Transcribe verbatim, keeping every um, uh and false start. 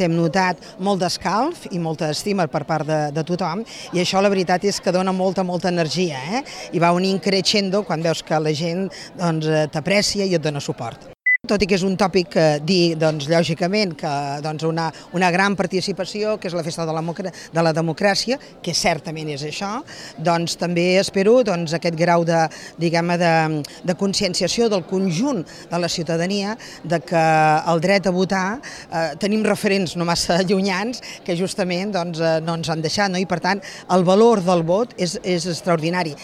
Hem notat molt d'escalf i molta estima per part de, de tothom i això la veritat és que dona molta, molta energia, eh? I va unint crescendo quan veus que la gent doncs, t'aprecia i et dona suport. Tot i que és un tòpic eh, dir, doncs, lògicament, que doncs, una, una gran participació, que és la festa de la, de la democràcia, que certament és això, doncs també espero doncs, aquest grau de, diguem-ne, de, de conscienciació del conjunt de la ciutadania, de que el dret a votar eh, tenim referents no massa llunyans que justament doncs, eh, no ens han deixat, no? I per tant el valor del vot és, és extraordinari.